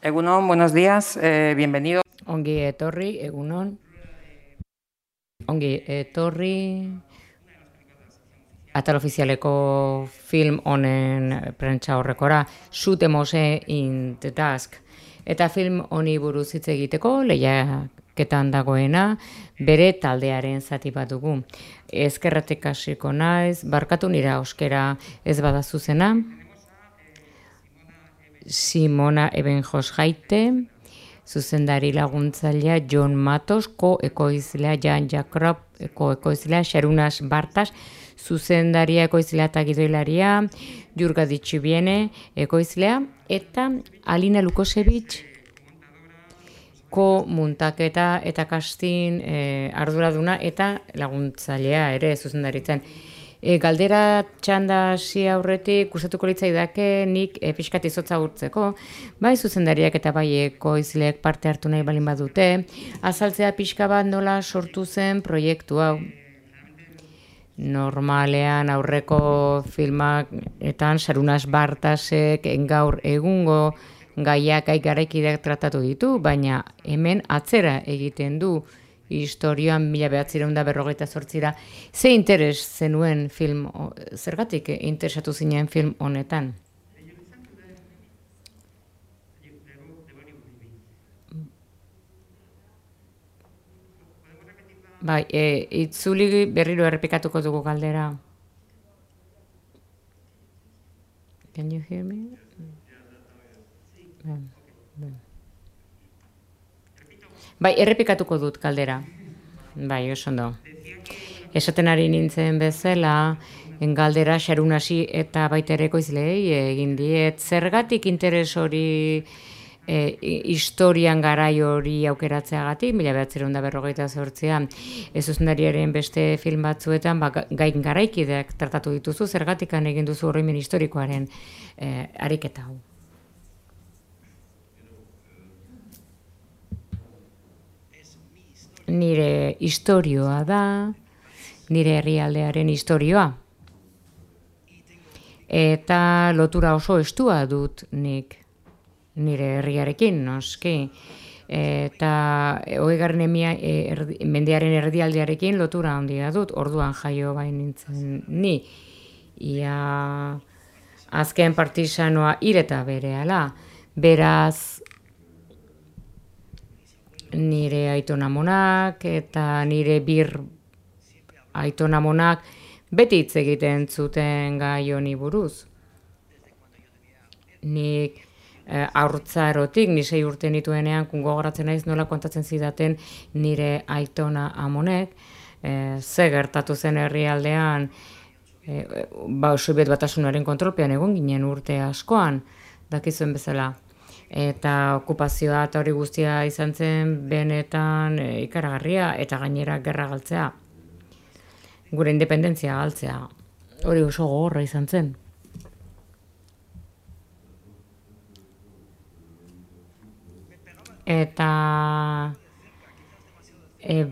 Egunon, buenos días, bienvenido. Ongi etorri, egunon. Ongi etorri. Atal ofizialeko film honen prentsa horrekora, Shoot Mose in the Dusk. Eta film honi buruz hitz egiteko, lehiaketan dagoena, bere taldearen zati bat dugu. Ezkerratik hasiko naiz, barkatu nira euskera ez bada zuzena. Simona Ebenjos Jaite, zuzendari laguntzailea John Matos, ko-ekoizlea Jan Jakob, ko-ekoizlea Sharunas Bartas, zuzendaria ekoizlea eta gidoilaria Jurga Ditxibiene ekoizlea, eta Alina Lukosevich, ko-muntaketa eta casting arduraduna eta laguntzailea ere zuzendaritzen. Galdera txanda hasi aurretik gustatuko litzaidake nik pixkat izotza urtzeko, bai zuzendariak eta bai ekoizleek parte hartu nahi balin badute, azaltzea pixka bat nola sortu zen proiektu hau. Normalean aurreko filmaketan Sharunas Bartasek gaur egungo gaiak garaikideak tratatu ditu, baina hemen atzera egiten du historioan 1958ra. Ze interes zenuen film, zergatik interesatu zinen film honetan? Bai, itzuli berriro errepikatuko dugu galdera. Can you hear me? Bai, errepikatuko dut galdera. Bai, oso ondo. Esaten ari nintzen bezala, galdera Sharunasi eta baita ere ekoizleei egin diet. Zergatik interes hori historian garai hori aukeratzeagatik, 1958an, zuzendariaren beste film batzuetan gain garaikideak tratatu dituzu, zergatikan egin duzu oroimen historikoaren ariketa hau. Nire historioa da, nire herrialdearen historioa. Eta lotura oso estua dut nik nire herriarekin, noski. Eta 20. Mendearen erdialdearekin lotura handia dut, orduan jaio bain nintzen ni. Ia azken partisanoa hil eta berehala. Beraz, nire aitonamonak eta nire bir aitonamonak beti hitz egiten zuten gai honi buruz. Nik haurtzarotik, ni 6 urte nituenean, gogoratzen naiz nola kontatzen zidaten nire aitona amonek, ze gertatu zen herrialdean, Sobiet Batasunaren kontrolpean egon ginen urte askoan, dakizuen bezala. Eta okupazioa eta hori guztia izan zen benetan ikaragarria eta gainera gerra galtzea. Gure independentzia galtzea. Hori oso gogorra izan zen. Eta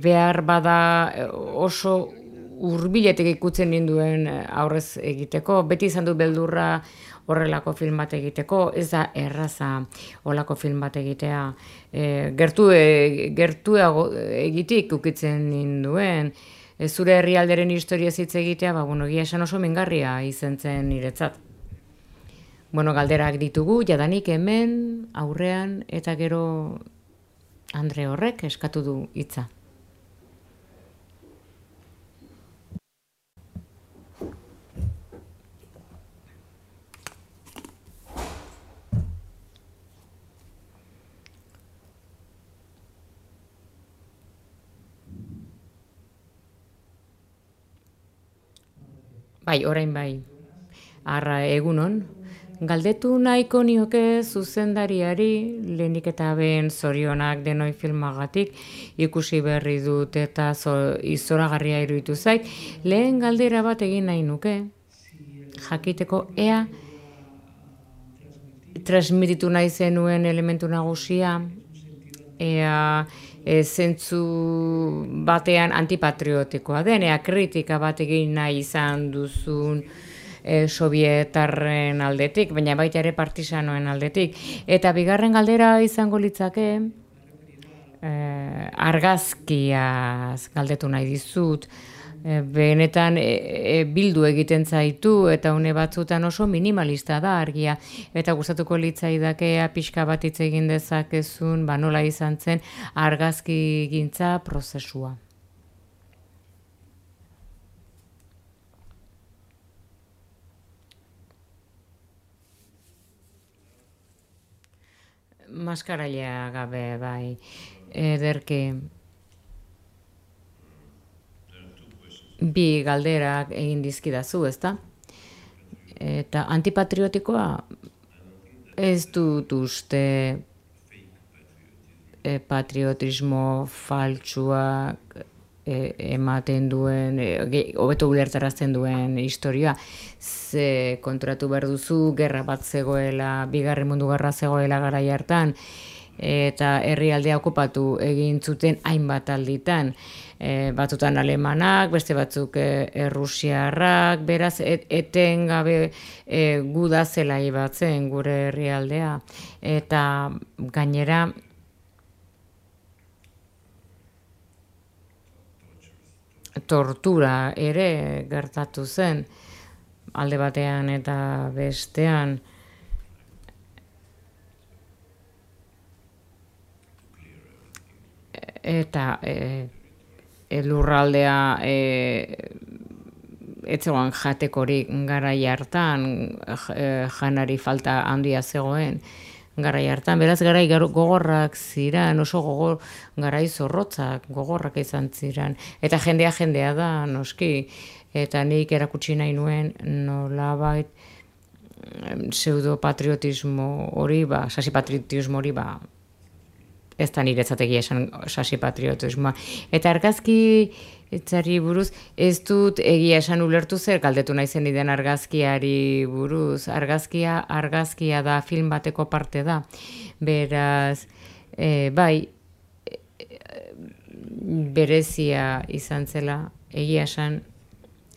behar bada oso hurbiletik ikutzen ninduen aurrez egiteko. Beti izan du beldurra horrelako film bat egiteko, ez da erraza horrelako film bat egitea. Gertuago egitik ukitzen ninduen. Zure herrialderen historia hitz egitea, egia esan oso mingarria izan zen niretzat. Galderak ditugu, jadanik hemen, aurrean, eta gero Andre horrek eskatu du hitza. Bai, orain bai. Arra egunon. Galdetu nahiko nioke zuzendariari, lehenik eta behin zorionak denoi filmagatik, ikusi berri dut eta izoragarria iruditu zait. Lehen galdera bat egin nahi nuke, jakiteko ea transmititu nahi zenuen elementu nagusia, ea zentzu batean antipatriotikoa den, ea kritika bat egin nahi izan duzun sovietarren aldetik, baina baita ere partisanoen aldetik. Eta bigarren galdera izango litzake, argazkiaz galdetu nahi dizut, benetan bildu egiten zaitu eta une batzutan oso minimalista da argia eta gustatuko litzaidakea pixka bat hitz egin dezakezun nola izan zen argazkigintza prozesua. Maskarailea gabe bai ederki. Bi galderak egin dizkidazu, ezta? Eta antipatriotikoa ez dut uste patriotismo faltsuak ematen duen, hobeto ulertarazten duen historia. Ze kontratu behar duzu, gerra bat zegoela, Bigarren Mundu Gerra zegoela garai hartan, eta herrialdea okupatu egin zuten hainbat alditan. Batzutan alemanak, beste batzuk errusiarrak, beraz etengabe guda zela ibatzen gure herrialdea. Eta gainera tortura ere gertatu zen alde batean eta bestean. Eta lurraldea ez zegoen jatekorik garai hartan, janari falta handia zegoen garai hartan, beraz garai gogorrak ziren, oso garai zorrotzak gogorrak izan ziren, eta jendea da, noski, eta nik erakutsi nahi nuen nolabait pseudopatriotismo hori, sasipatriotismo hori, ez da niretzat egia esan sasipatriotismoa. Eta argazki etzari buruz, ez dut egia esan ulertu zer galdetu nahi zen den argazkiari buruz. Argazkia da, film bateko parte da. Beraz, bai, berezia izan zela, egia esan,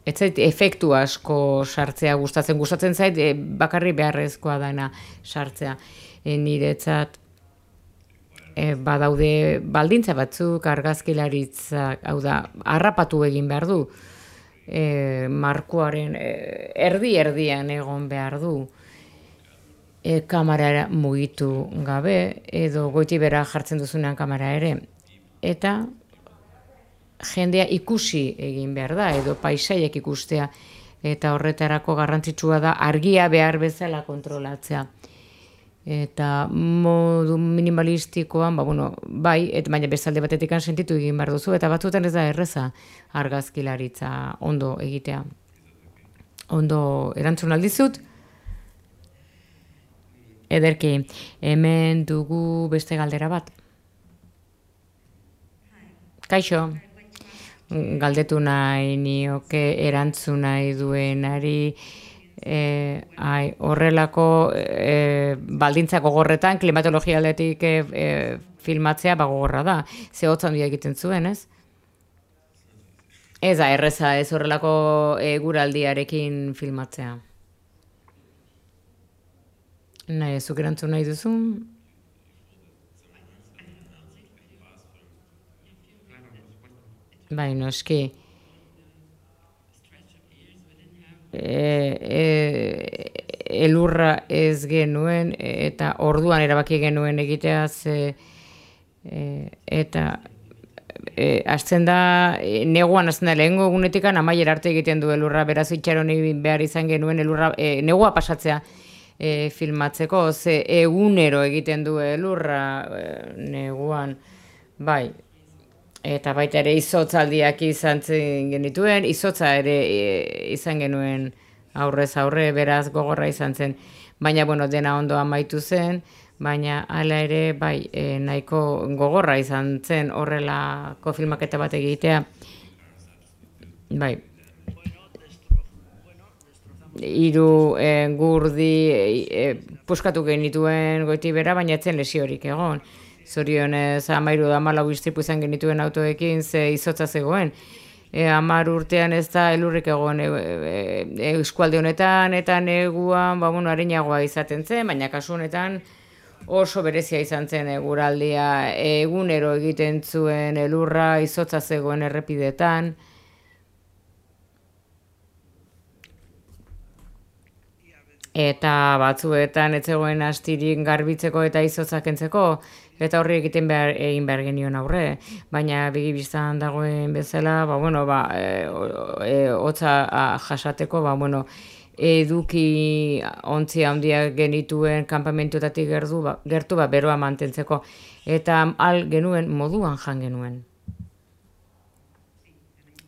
ez zait efektu asko sartzea gustatzen zait, bakarri beharrezkoa dena sartzea. Niretzat, badaude baldintza batzuk argazkilaritzak, hau da, harrapatu egin behar du, markoaren erdian egon behar du, kamera mugitu gabe, edo goitibera jartzen duzunean kamera ere, eta jendea ikusi egin behar da, edo paisaiek ikustea, eta horretarako garrantzitsua da argia behar bezala kontrolatzea. Eta modu minimalistikoan, bai, baina bezalde batetik sentitu egin behar duzu, eta batzuetan ez da erreza argazkilaritza ondo egitea. Ondo erantzun aldizut? Ederki, hemen dugu beste galdera bat. Kaixo, galdetu nahi nioke erantzun nahi duenari, horrelako baldintza gogorretan klimatologia aldetik filmatzea gogorra da. Ze hotz handia egiten zuen, ez? Ez da, erreza ez horrelako eguraldiarekin filmatzea. Nahi, zuk erantzun nahi duzu? Bai, noski. Elurra ez genuen eta orduan erabaki genuen egitea eta hasten da neguan hasten da lehengo egunetikan amaiera arte egiten du elurra, beraz itxaron behar izan genuen elurra negua pasatzea filmatzeko, ze egunero egiten du elurra neguan, bai. Eta baita ere izotzaldiak izan genituen, izotza ere izan genuen aurrez aurre, beraz gogorra izan zen. Baina, dena ondo amaitu zen, baina hala ere, bai, nahiko gogorra izan zen horrelako filmaketa bat egitea. Bai. 3 gurdi puskatu genituen Goitibera, baina etzen lesiorik egon. Zorionez 13-14 istripu izan genituen autoekin ze izotza zegoen. 10 urtean ez da elurrik egon eskualde honetan, eta neguan, arinagoa izaten zen, baina kasu honetan oso berezia izan zen eguraldia, egunero egiten zuen elurra, izotza zegoen errepidetan. Eta batzuetan ez zegoen astirik garbitzeko eta izotza kentzeko, eta horri egin behar genion aurre. Baina begibistan dagoen bezala, hotza jasateko, eduki ontzi handiak genituen kanpamentuetatik gertu beroa mantentzeko. Eta genuen moduan jan genuen.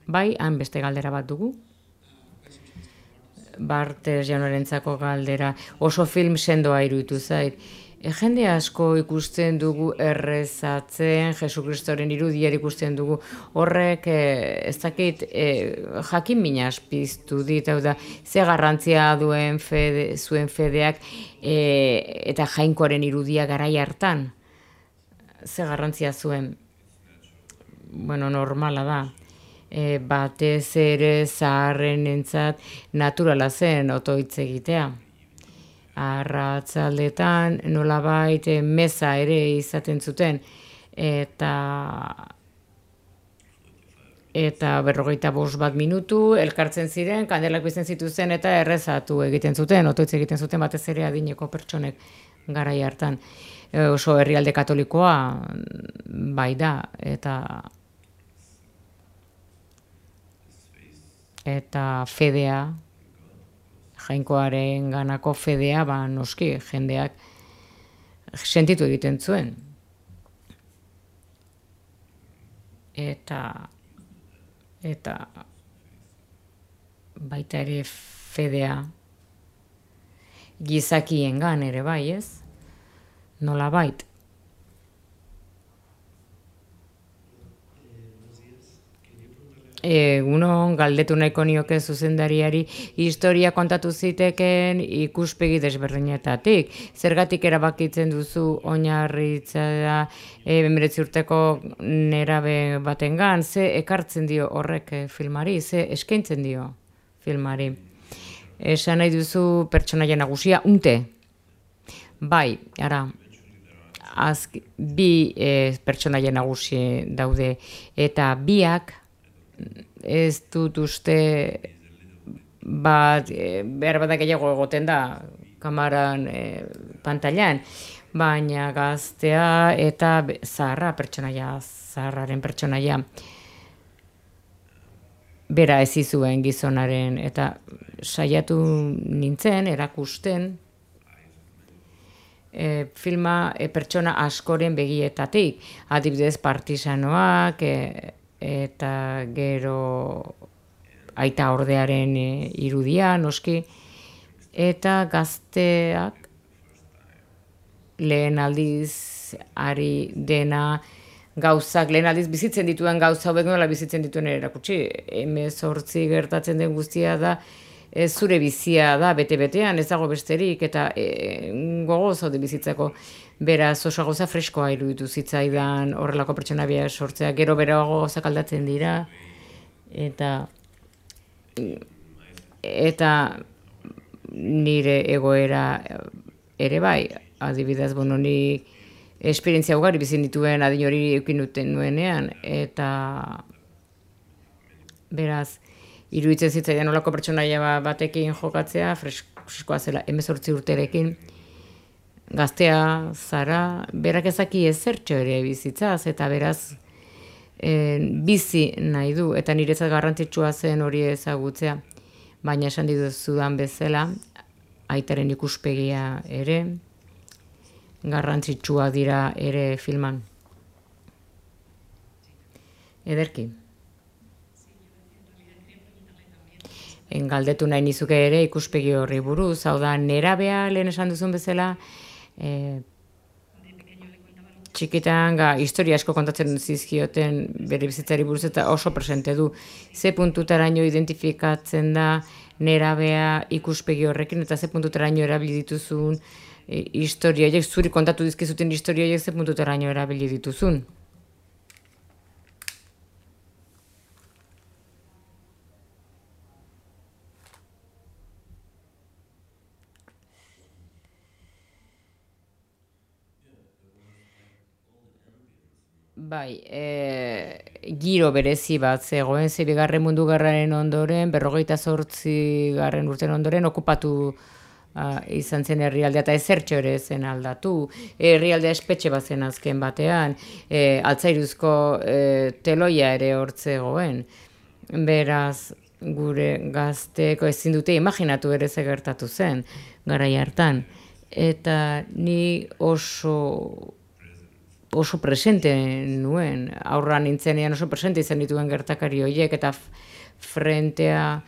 Bai, han beste galdera bat dugu. Bartes jaunarentzako galdera. Oso film sendoa iruditu zait. Jende asko ikusten dugu errezatzen, Jesukristoren irudiar ikusten dugu. Horrek, ez dakit, jakin minas piztu dit, hau da, ze garrantzia duen zuen fedeak eta jainkoaren irudia garai hartan. Ze garrantzia zuen, normala da. Batez ere zaharrenentzat naturala zen otoitz egitea. Arratzaldetan nolabait meza ere izaten zuten eta 45 minutu elkartzen ziren, kandelak bizten zituzten eta errezatu egiten zuten, otoitz egiten zuten batez ere adineko pertsonek garai hartan. Oso herrialde katolikoa bai da eta fedea, jainkoaren ganako fedea, noski, jendeak sentitu egiten zuen. Eta baita ere fedea gizakiengan ere bai, ez? Nolabait. Egunon, galdetu nahiko nioke zuzendariari historia kontatu ziteken ikuspegi desberdinetatik. Zergatik erabakitzen duzu oinarritzea 19 urteko nerabe batengan, ze ekartzen dio horrek filmari, ze eskaintzen dio filmari. Esan nahi duzu pertsonaia nagusia, unte. Bai, ara, bi pertsonaia nagusi daude, eta biak ez dut uste behar badak gehiago egoten da kamaran pantailan, baina gaztea eta zaharraren pertsonaia bera ez izuen gizonaren, eta saiatu nintzen erakusten filma pertsona askoren begietatik, adibidez partisanoak, eta gero aita ordearen irudia, noski, eta gazteak lehen aldiz ari dena gauzak, lehen aldiz bizitzen dituen gauza hauek nola bizitzen dituen erakutsi. 18 gertatzen den guztia da, zure bizia da, bete-betean, ez dago besterik, eta gogoz haude bizitzako. Beraz, oso gauza freskoa iruditu zitzaidan horrelako pertsona bia sortzea, gero berago gauzak aldatzen dira, eta nire egoera ere bai, adibidez, ni esperientzia ugari bizin dituen adin hori eukin duten nuenean, eta beraz, iruditzen zitzaidan horrelako pertsonaia batekin jokatzea, freskoa zela 18 urterekin, gaztea, zara, berak ezaki ezertxo ere bizitzaz, eta beraz bizi nahi du, eta niretzat garrantzitsua zen hori ezagutzea, baina esan dituzudan bezala, aitaren ikuspegia ere, garrantzitsua dira ere filman. Ederki. Galdetu nahi nizuke ere ikuspegi horri buruz, hau da, nerabea lehen esan duzun bezala, txikitan historia asko kontatzen zizkioten bere bizitzari buruz eta oso presente du. Ze puntutaraino identifikatzen da nerabea ikuspegi horrekin eta ze puntutaraino erabili dituzun historia, zuri kontatu dizkizuten historia, ze puntutaraino erabili dituzun. Bai, giro berezi bat zegoen, ze bigarren mundu gerraren ondoren, 58. Urten ondoren, okupatu izan zen herrialdea, eta ezertxo ere zen aldatu. Herrialdea espetxe bat zen azken batean, altzairuzko teloia ere hortzegoen. Beraz, gure gazteko ezin dute imaginatu ere ze gertatu zen, garai hartan. Eta ni oso presente nuen, aurra nintzenean oso presente izan dituen gertakari horiek, eta frentea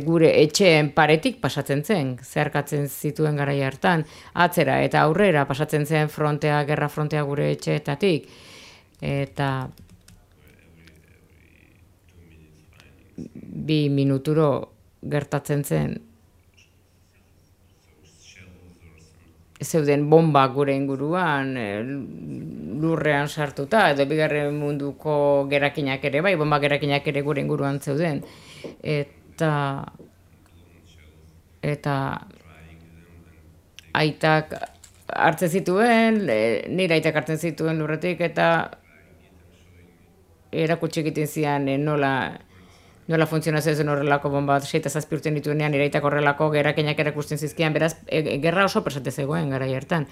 gure etxeen paretik pasatzen zen, zeharkatzen zituen garai hartan, atzera eta aurrera pasatzen zen gerra frontea gure etxeetatik, eta 2 minuturo gertatzen zen zeuden bomba gure inguruan, lurrean sartuta, edo bigarren munduko gerakinak ere, bai, bomba gerakinak ere gure inguruan zeuden. Eta aitak hartzen zituen, nire aitak hartzen zituen lurretik, eta erakutsi egiten zian nola funtzionazio zen horrelako bomba 6-7 urte dituenean, nire aitak horrelako gerakinak erakusten zizkian, beraz, gerra oso presente zegoen garai hartan.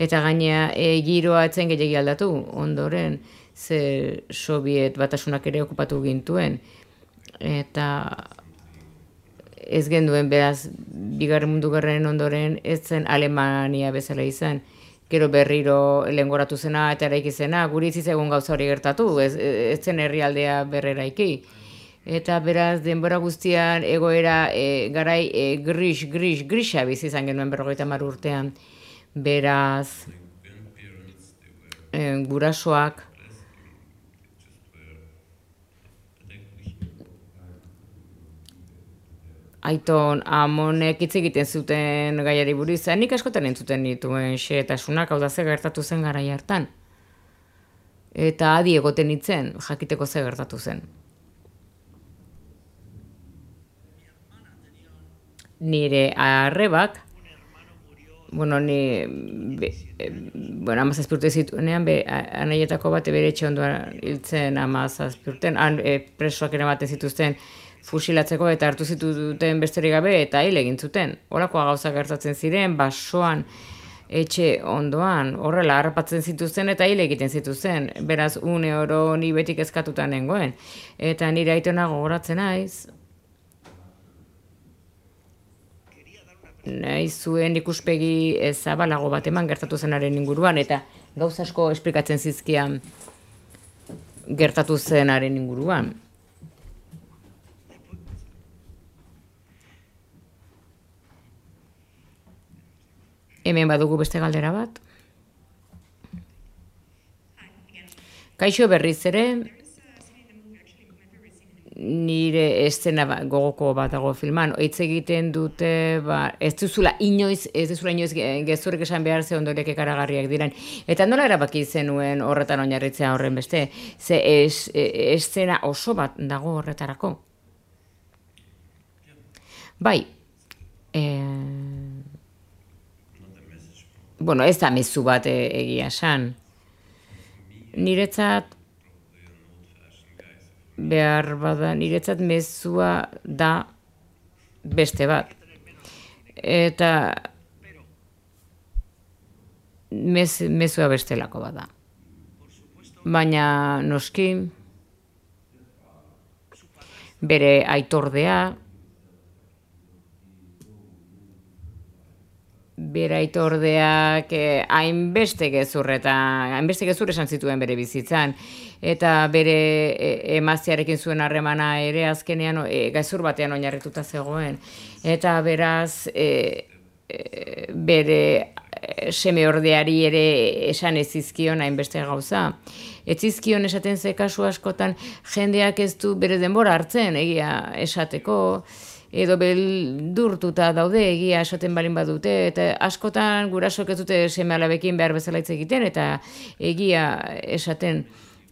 Eta gainea giroa etzen gehiagi aldatu, ondoren, ze Sobiet batasunak ere okupatu gintuen. Eta ez genduen, beraz, bigarren mundu gerraren ondoren, ez zen Alemania bezala izan. Gero berriro lehengoratu zena eta eraiki zena, guri ez egun gauza hori gertatu, ez zen herrialdea berreraiki. Eta beraz, denbora guztian egoera garai grisa bizi izan genuen 50 urtean. Beraz, gurasoak aiton amonek hitz egiten zuten gaiari buruz, nik askotan entzuten dituen xehetasunak, hau da ze gertatu zen garai hartan. Eta adi egoten nintzen, jakiteko ze gertatu zen. Nire arrebak, bueno, 17 urte zituenean, anaietako bate bere etxe ondoan hiltzen 17 urten, han presoak eramaten zituzten fusilatzeko eta hartu zituten besterik gabe eta hil egin zuten. Holakoa gauza gertatzen ziren, basoan etxe ondoan, horrela harrapatzen zituzten eta hil egiten zituzten. Beraz, une oro ni beti kezkatuta nengoen. Eta nire aitona gogoratzen naiz, nahi zuen ikuspegi zabalago bat eman gertatu zenaren inguruan, eta gauza asko esplikatzen zizkian gertatu zenaren inguruan. Hemen badugu beste galdera bat. Kaixo, berriz ere, nire eszena gogoko bat dago filman, hitz egiten dute, ez duzula inoiz gezurrik esan behar ze ondoriak ekaragarriak diren. Eta nola erabaki zenuen horretan oinarritzea horren beste? Ze eszena oso bat dago horretarako. Bai, bueno, ez da mezu bat egia esan. Niretzat, behar bada, niretzat mezua da beste bat. Eta mezua bestelako bat da. Baina noski, bere aitordea, bere aitordeak hainbeste gezur esan zituen bere bizitzan, eta bere emaztearekin zuen harremana ere azkenean gezur batean oinarrituta zegoen. Eta beraz, bere semeordeari ere esan ez zizkion hainbeste gauza. Ez zizkion esaten ze kasu askotan jendeak ez du bere denbora hartzen egia esateko, edo beldurtuta daude egia esaten balin badute, eta askotan gurasok ez dute seme alabekin behar bezala hitz egiten, eta egia esaten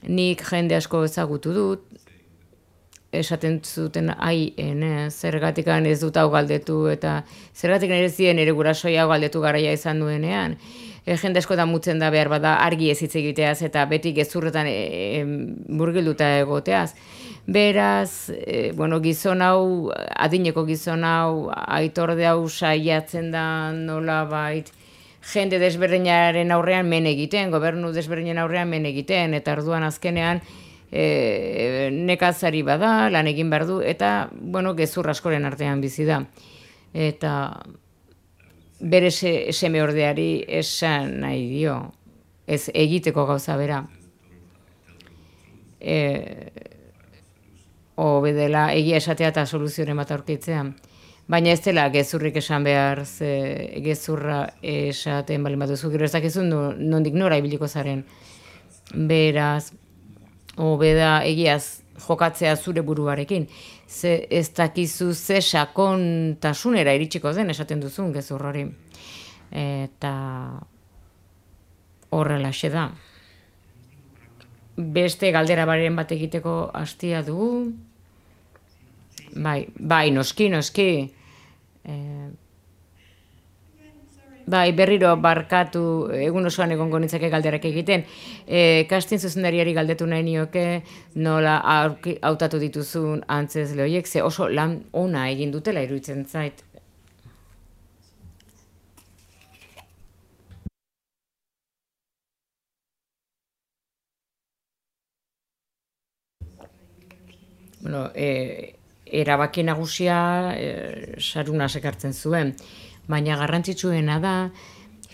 nik jende asko ezagutu dut, esaten zuten zergatikan ez dut hau galdetu, eta zergatikan ere zien ere gurasoi hau galdetu garaia izan duenean, jende asko da mutzen da behar bada argi ez hitz egiteaz eta beti gezurretan murgilduta egoteaz. Beraz, gizon hau, adineko gizon hau, aitorde hau saiatzen da nolabait, jende desberdinaren aurrean men egiten, gobernu desberdinen aurrean men egiten, eta orduan azkenean nekazari bada, lan egin behar du, eta, gezur askoren artean bizi da. Eta bere seme ordeari esan nahi dio, ez egiteko gauza bera. Bedela egia esatea eta soluzioren bat aurkitzea. Baina ez dela gezurrik esan behar, gezurra esaten bali baduzu, gero ez dakizun nondik nora ibiliko zaren. Beraz, hobeda egiaz jokatzea zure buruarekin. Ez dakizu ze sakontasunera iritsiko den esaten duzun gezur hori. Eta horrelaxe da. Beste galdera baren bat egiteko hastia dugu. Bai, noski. Berriro barkatu, egun osoan egongo nintzake galderak egiten. Casting zuzendariari galdetu nahi nioke nola hautatu dituzun antzezle horiek, ze oso lan ona egin dutela iruditzen zait. Erabaki nagusia Sarunas ekartzen zuen, baina garrantzitsuena da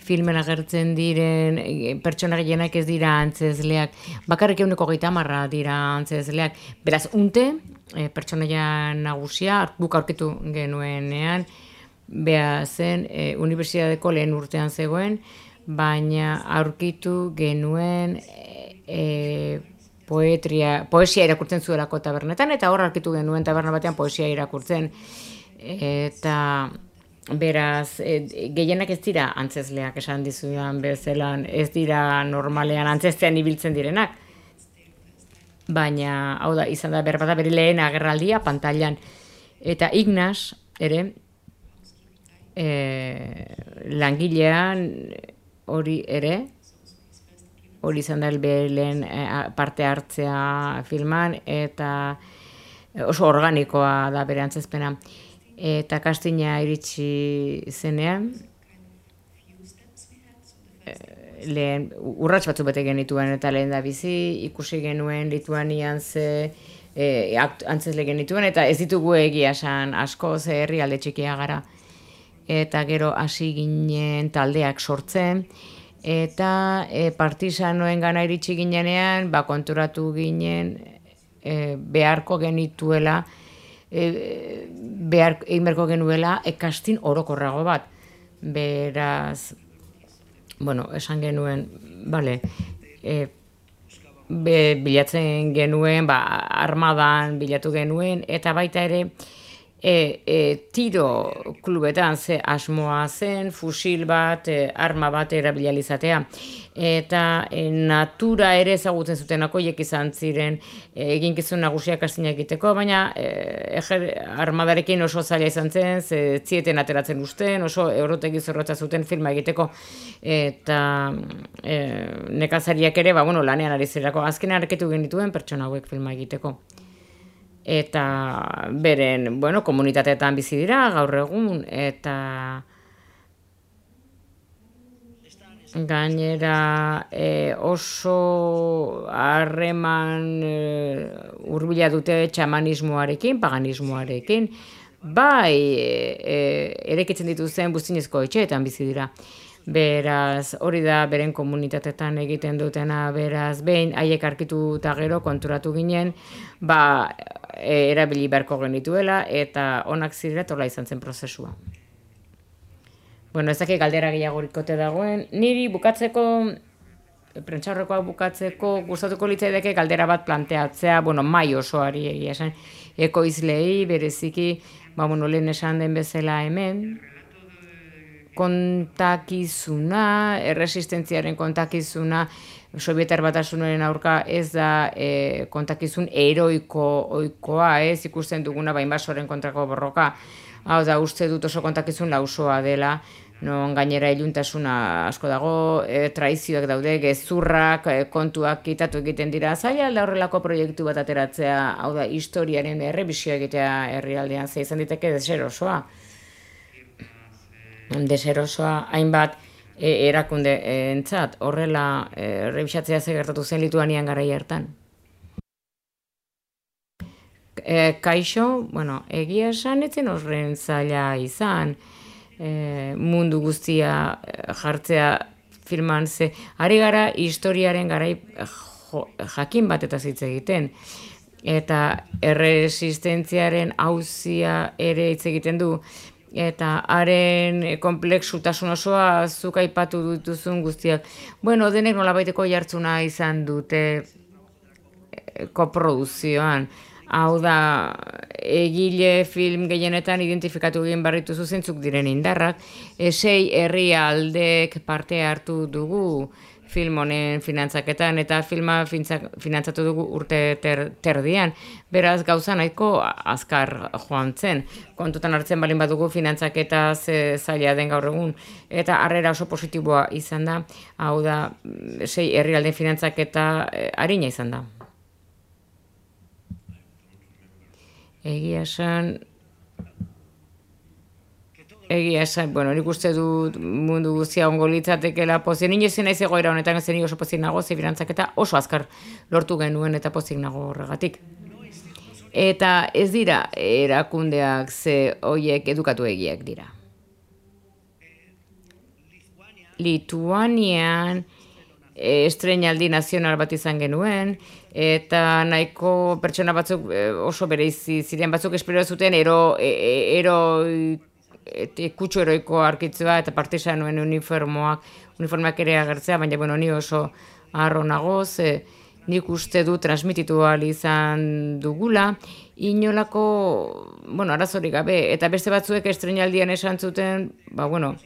filmen agertzen diren pertsona gehienak ez dira antzezleak, bakarrik 30% dira antzezleak, beraz unte pertsonaia nagusia guk aurkitu genuenean, beha zen unibertsitateko lehen urtean zegoen, baina aurkitu genuen poesia irakurtzen zuelako tabernetan, eta hor aurkitu genuen taberna batean poesia irakurtzen. Eta beraz, gehienak ez dira antzezleak esan dizudan bezelan, ez dira normalean antzeztean ibiltzen direnak. Baina, hau da, izan da berbada bere lehen agerraldia pantailan. Eta Ignaz, ere, langilean hori ere, hori izan da lehen parte hartzea filman, eta oso organikoa da bere antzezpena. Eta castinga iritsi zenean, lehen urrats batzu bete genituen, eta lehen da bizi, ikusi genuen Lituanian antzezle genituen, eta ez ditugu egia esan asko, ze herrialde txikia gara. Eta gero hasi ginen taldeak sortzen, eta partisanoen gana iritsi ginenean, konturatu ginen beharko genituela, egin genuela casting orokorrago bat. Beraz, esan genuen, bilatzen genuen, armadan bilatu genuen, eta baita ere, tiro klubetan ze asmoa zen, fusil bat, arma bat erabilizatea. Eta natura ere ezagutzen zutenako hiek izan ziren eginkizun nagusiak castinga egiteko, baina armadarekin oso zaila izan zen, zieten ateratzen usten, oso eurotegi zorrotza zuten filma egiteko, eta nekazariak ere, lanean ari zirako, azken arketu genituen pertsona hauek filma egiteko. Eta beren, komunitateetan bizi dira, gaur egun, eta gainera oso harreman hurbila dute txamanismoarekin, paganismoarekin, erekitzen dituzten buztinezko etxeetan bizi dira. Beraz, hori da beren komunitatetan egiten dutena, beraz, behin haiek arkitu eta gero konturatu ginen, erabili beharko genituela, eta onak zirela tola izan zen prozesua. Ez dakit galdera gehiagorikote dagoen, niri bukatzeko, prentsaurrekoa bukatzeko, gustatuko litzaidake galdera bat planteatzea, mai osoari egia esan, ekoizlei, bereziki, lehen esan den bezala hemen, kontakizuna, erresistentziaren kontakizuna, Sobietar Batasunaren aurka ez da kontakizun heroikoa, ez ikusten duguna inbasoren kontrako borroka. Hau da, uste dut oso kontakizun lausoa dela, non gainera iluntasuna asko dago, traizioak daude, gezurrak, kontuak kitatu egiten dira. Zaila da horrelako proiektu bat ateratzea, hau da, historiaren errebisioa egitea herrialdean, ze izan diteke deserosoa. Deserosoa hainbat erakunde entzat, horrela errebisatzea ze gertatu zen Lituanian garai hartan. Kaixo, bueno, egia esan etzen horren zaila izan, mundu guztia jartzea filman ze, ari gara historiaren garai jakin bat eta hitz egiten, eta erresistentziaren auzia ere hitz egiten du, eta haren komplexutasun osoa zuk aipatu dituzun guztiak. Bueno, denek nolabaiteko jartzuna izan dute koproduzioan. Hau da, egile film gehienetan identifikatu egin barritu zuzentzuk diren indarrak, 6 herrialdek parte hartu dugu film honen finantzaketan, eta filma finantzatu dugu urte terdian, beraz gauza nahiko azkar joan zen. Kontutan hartzen balin badugu finantzaketa zaila den gaur egun, eta harrera oso positiboa izan da, hau da, 6 herrialden finantzaketa arina izan da. Egia esan, bueno, nik uste dut mundu guztia ongo litzatekela pozik. Nino ezin naiz egoera honetan, ez nik oso pozik nago, ze finantzaketa oso azkar lortu genuen eta pozik nago horregatik. Eta ez dira erakundeak ze hoiek edukatu egiak dira. Lituanian estreinaldi nazional bat izan genuen, eta nahiko pertsona batzuk oso bereizi ziren, batzuk espero zuten kutsu heroiko arkitzea eta partisanoen uniformeak ere agertzea, baina bueno, ni oso harro nagoz, nik uste du transmititu ahal izan dugula, inolako, bueno, arazorik gabe, eta beste batzuek estreinaldian esan zuten, bueno,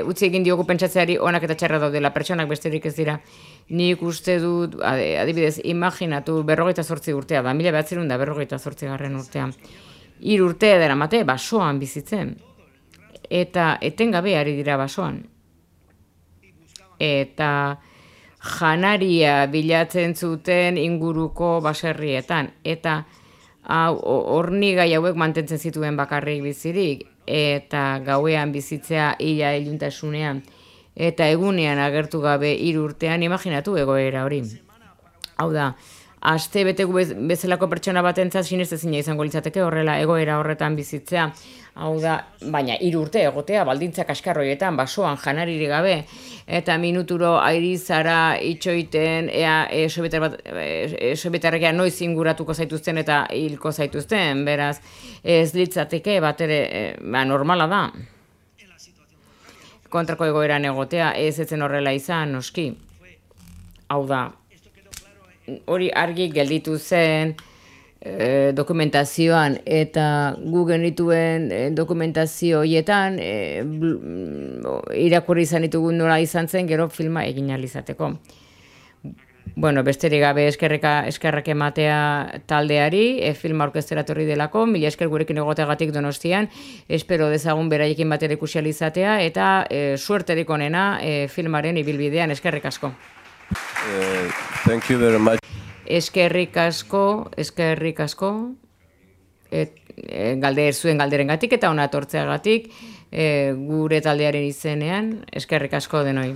utzi egin diogu pentsatzeari onak eta txarra daudela, pertsonak besterik ez dira. Nik uste dut, adibidez, imaginatu 48 urtea da, 1948 urtean. 3 urte daramate basoan bizitzen. Eta etengabe ari dira basoan. Eta janaria bilatzen zuten inguruko baserrietan. Eta hornigai hauek mantentzen zituen bakarrik bizirik. Eta gauean bizitzea ila iluntasunean, eta egunean agertu gabe 3 urtean, imaginatu egoera hori. Hau da, aste betegu bezalako pertsona batentzat sinestezina izango litzateke horrela egoera horretan bizitzea. Hau da, baina 3 urte egotea baldintzak askarroietan, basoan janaririk gabe, eta minuturo airizara itxoiten, ea sobietarrekia noiz inguratuko zaituzten eta hilko zaituzten, beraz ez litzateke bat ere normala da. Kontrako egoeran egotea ez etzen horrela izan, noski. Hau da, hori argi gelditu zen dokumentazioan, eta gu genituen dokumentazio horietan irakurri izan ditugun nola izan zen gero filma egin ahal izateko. Bueno, besterik gabe eskerrak ematea taldeari, filma orkestera etorri delako, mila esker gurekin egoteagatik Donostian, espero dezagun beraiekin batera ikusi ahal izatea, eta suerterik onena filmaren ibilbidean, eskerrik asko. Thank you very much. Eskerrik asko, zuen galderengatik eta ona etortzeagatik, gure taldearen izenean, eskerrik asko denoi.